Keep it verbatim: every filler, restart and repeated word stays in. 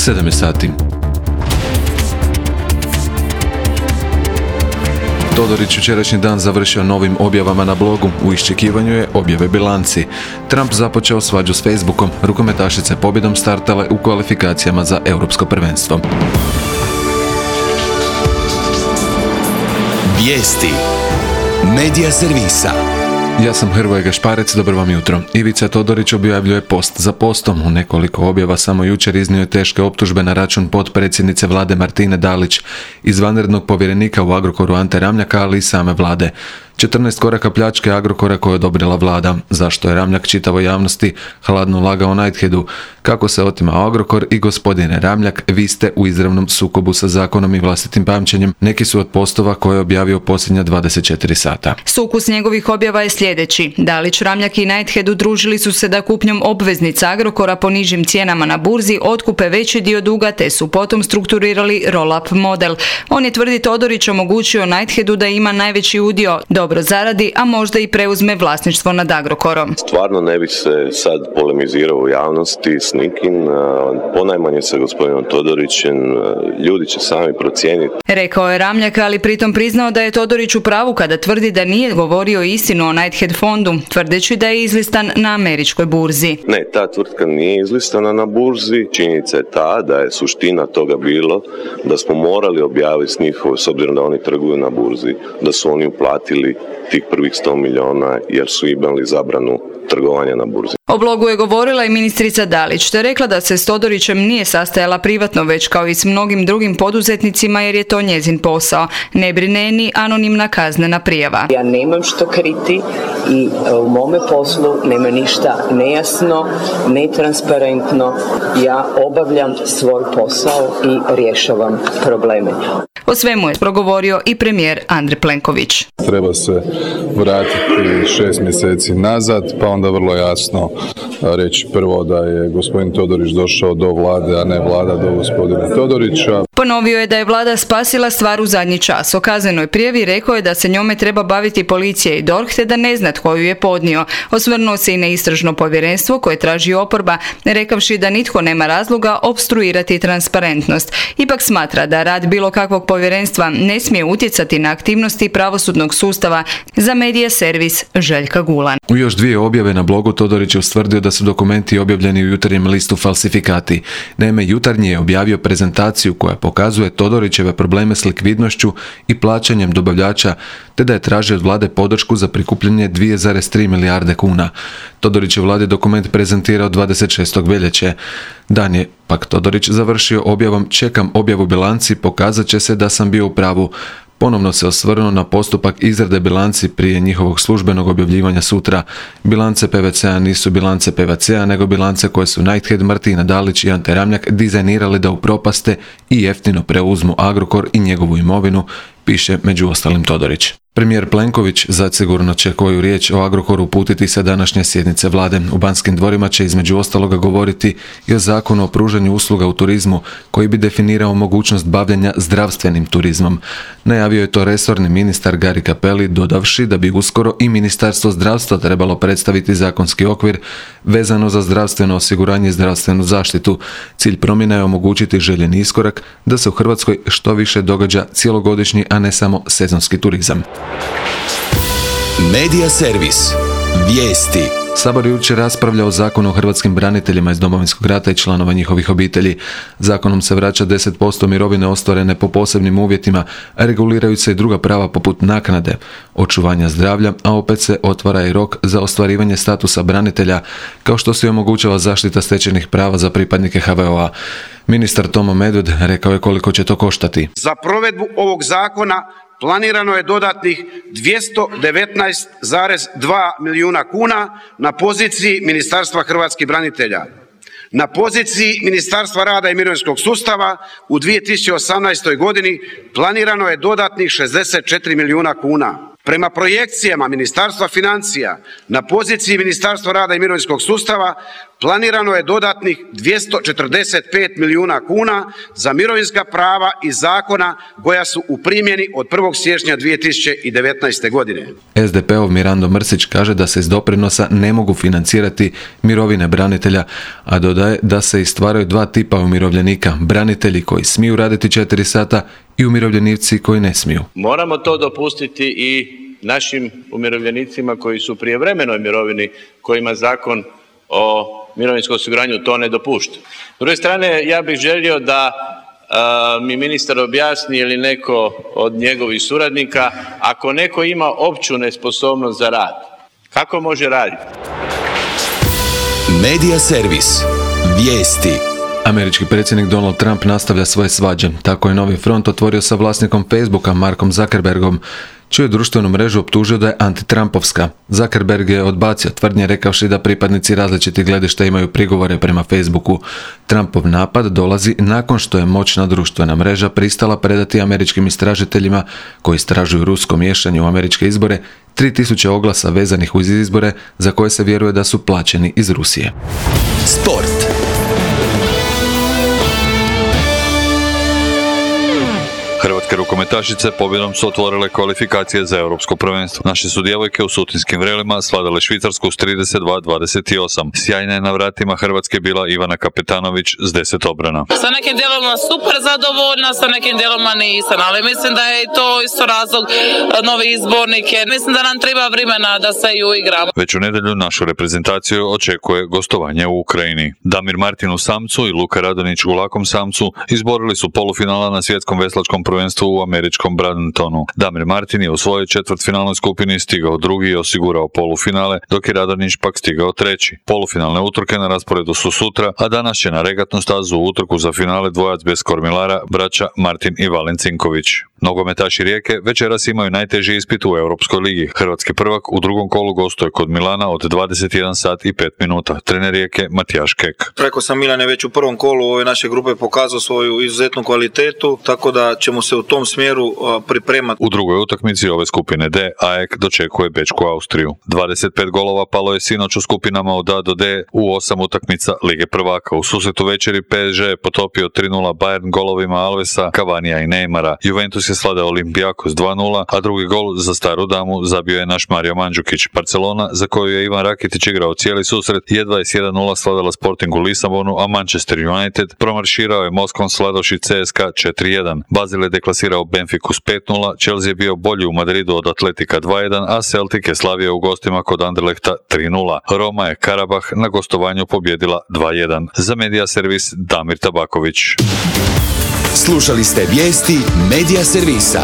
sedam je sati. Todorić jučerašnji dan završio novim objavama na blogu, u iščekivanju je objave bilanci. Trump započeo svađu s Facebookom, rukometašice pobjedom startale u kvalifikacijama za europsko prvenstvo. Vijesti Medija servisa. Ja sam Hrvoje Gašparec, dobro vam jutro. Ivica Todorić objavljuje post za postom. U nekoliko objava samo jučer iznio je teške optužbe na račun potpredsjednice vlade Martine Dalić, izvanrednog povjerenika u Agrokoru Ante Ramljaka, ali i same vlade. četrnaest koraka pljačke Agrokora koje je odobrila vlada. Zašto je Ramljak čitavoj javnosti hladno lagao Nightheadu? Kako se otima Agrokor i gospodine Ramljak, vi ste u izravnom sukobu sa zakonom i vlastitim pamćenjem. Neki su od postova koje je objavio posljednja dvadeset četiri sata. Sukus njegovih objava je sljedeći. Dalić, Ramljak i Nighthead udružili su se da kupnjom obveznica Agrokora po nižim cijenama na burzi otkupe veći dio duga, te su potom strukturirali roll-up model. On je, tvrdi Todorić, omogućio Nightheadu da ima najveći udio, dobro zaradi, a možda i preuzme vlasništvo nad Agrokorom. Stvarno ne bih se sad polemizirao u javnosti s nikim, ponajmanje sa gospodinom Todorićem, ljudi će sami procijeniti. Rekao je Ramljak, ali pritom priznao da je Todorić u pravu kada tvrdi da nije govorio istinu o Nighthead fondu, tvrdeći da je izlistan na američkoj burzi. Ne, ta tvrtka nije izlistana na burzi. Činjenica je ta da je suština toga bilo da smo morali objaviti s njihovo, s obzirom da oni trguju na burzi, da su oni uplatili tih prvih sto milijuna jer su imali zabranu trgovanja na burzi. O blogu je govorila i ministrica Dalić, te rekla da se s Todorićem nije sastajala privatno, već kao i s mnogim drugim poduzetnicima, jer je to njezin posao. Ne brine ni anonimna kaznena prijava. Ja nemam što kriti i u mome poslu nema ništa nejasno, netransparentno. Ja obavljam svoj posao i rješavam probleme. O svemu je progovorio i premijer Andrej Plenković. Treba se vratiti šest mjeseci nazad, pa onda vrlo jasno reći prvo da je gospodin Todorić došao do vlade, a ne vlada do gospodina Todorića. Ponovio je da je vlada spasila stvar u zadnji čas. O kaznenoj prijavi rekao je da se njome treba baviti policija i D O R H, te da ne zna tko ju je podnio. Osvrnuo se i na istražno povjerenstvo koje traži oporba, rekavši da nitko nema razloga opstruirati transparentnost. Ipak smatra da rad bilo kakvog povjerenstva ne smije utjecati na aktivnosti pravosudnog sustava. Za Medija servis Željka Gulan. U još dvije objave na blogu Todorić je ustvrdio da su dokumenti objavljeni u Jutarnjem listu falsifikati. Naime, Jutarnji je objavio prezentaciju koja pokazuje Todorićeve probleme s likvidnošću i plaćanjem dobavljača, te da je tražio od vlade podršku za prikupljanje dvije zarez tri milijarde kuna. Todorić je vladi dokument prezentirao dvadeset šestog veljače. Dan je pak Todorić završio objavom čekam objavu bilanci, pokazat će se da sam bio u pravu. Ponovno se osvrnuo na postupak izrade bilanci prije njihovog službenog objavljivanja sutra. Bilance P V C-a nisu bilance P V C-a, nego bilance koje su Nighthead, Martina Dalić i Ante Ramljak dizajnirali da upropaste i jeftino preuzmu Agrokor i njegovu imovinu, piše među ostalim Todorić. Premijer Plenković zasigurno će koju riječ o Agrokoru uputiti sa današnje sjednice vlade. U Banskim dvorima će između ostaloga govoriti i o zakonu o pružanju usluga u turizmu, koji bi definirao mogućnost bavljenja zdravstvenim turizmom. Najavio je to resorni ministar Gari Cappelli, dodavši da bi uskoro i Ministarstvo zdravstva trebalo predstaviti zakonski okvir vezano za zdravstveno osiguranje i zdravstvenu zaštitu. Cilj promjena je omogućiti željeni iskorak da se u Hrvatskoj što više događa cjelogodišnji, a ne samo sezonski turizam. Medija servis. Vijesti. Sabor jučer raspravlja o zakonu o hrvatskim braniteljima iz Domovinskog rata i članova njihovih obitelji. Zakonom se vraća deset posto mirovine ostvarene po posebnim uvjetima, a reguliraju se i druga prava poput naknade, očuvanja zdravlja, a opet se otvara i rok za ostvarivanje statusa branitelja, kao što se omogućava zaštita stečenih prava za pripadnike H V O-a. Ministar Tomo Medved rekao je koliko će to koštati. Za provedbu ovog zakona planirano je dodatnih dvjesto devetnaest zarez dva milijuna kuna na poziciji Ministarstva hrvatskih branitelja. Na poziciji Ministarstva rada i mirovinskog sustava u dvije tisuće osamnaestoj godini planirano je dodatnih šezdeset četiri milijuna kuna. Prema projekcijama Ministarstva financija na poziciji Ministarstva rada i mirovinskog sustava planirano je dodatnih dvjesto četrdeset pet milijuna kuna za mirovinska prava iz zakona koja su u primjeni od prvog siječnja dvije tisuće devetnaeste. godine. es de pe-ov Mirando Mrsić kaže da se iz doprinosa ne mogu financirati mirovine branitelja, a dodaje da se istvaraju dva tipa umirovljenika, branitelji koji smiju raditi četiri sata i umirovljenici koji ne smiju. Moramo to dopustiti i našim umirovljenicima koji su u prijevremenoj mirovini, kojima zakon o mirovinskom osiguranju to ne dopušta. S druge strane, ja bih želio da a, mi ministar objasni ili neko od njegovih suradnika, ako neko ima opću nesposobnost za rad, kako može raditi? Medija servis. Vijesti. Američki predsjednik Donald Trump nastavlja svoje svađe. Tako je Novi front otvorio sa vlasnikom Facebooka Markom Zuckerbergom, čiju je društvenu mrežu optužio da je antitrampovska. Zuckerberg je odbacio tvrdnje rekavši da pripadnici različitih gledišta imaju prigovore prema Facebooku. Trumpov napad dolazi nakon što je moćna društvena mreža pristala predati američkim istražiteljima koji istražuju rusko miješanje u američke izbore tri tisuće oglasa vezanih uz izbore za koje se vjeruje da su plaćeni iz Rusije. Sport. Hrvatske rukometašice pobjedom su otvorile kvalifikacije za europsko prvenstvo. Naše su djevojke u sutinskim vrelima sladale Švicarsku s trideset dva dvadeset osam. Sjajna je na vratima Hrvatske bila Ivana Kapetanović s deset obrana. Sa nekim dijelovima super zadovoljna, sa nekim dijelovima nisam, ali mislim da je to isto razlog novi izbornike. Mislim da nam treba vremena da se ju igramo. Već u nedjelju našu reprezentaciju očekuje gostovanje u Ukrajini. Damir Martin u samcu i Luka Radonić u lakom samcu izborili su polufinala na svjetskom veslačkom prvenstvu u američkom Brandentonu. Damir Martin je u svojoj četvrtfinalnoj skupini stigao drugi i osigurao polufinale, dok je Radonić pak stigao treći. Polufinalne utrke na rasporedu su sutra, a danas će na regatnu stazu u utrku za finale dvojac bez kormilara, braća Martin i Valen Cinković. Nogometaši Rijeke večeras imaju najteži ispit u Europskoj ligi. Hrvatski prvak u drugom kolu gostuje kod Milana od dvadeset jedan sat i pet minuta. Trener Rijeke Matijaš Kek. Rekao sam, Milan je već u prvom kolu ove naše grupe pokazao svoju izuzetnu kvalitetu, tako da ćemo se u tom smjeru pripremati. U drugoj utakmici ove skupine D, A E K dočekuje Bečku Austriju. dvadeset pet golova palo je sinoć u skupinama od A do D u osam utakmica Lige prvaka. U susretu večeri P S G je potopio tri nula Bayern golovima Alvesa, Cavanija i Neymara. Juventus je slade Olimpijakos dva nula, a drugi gol za staru damu zabio je naš Mario Mandžukić. Barcelona, za koju je Ivan Rakitić igrao cijeli susret, je dvadeset jedan nula sladala Sporting u Lisabonu, a Manchester United promarširao je Moskvom sladovši C S K A četiri jedan. Basel je deklasirao Benfiku s pet nula, Chelsea je bio bolji u Madridu od Atletika dva jedan, a Celtic je slavio u gostima kod Anderlechta tri nula. Roma je Karabah na gostovanju pobjedila dva jedan. Za Medija servis Damir Tabaković. Slušali ste vijesti Medija servisa.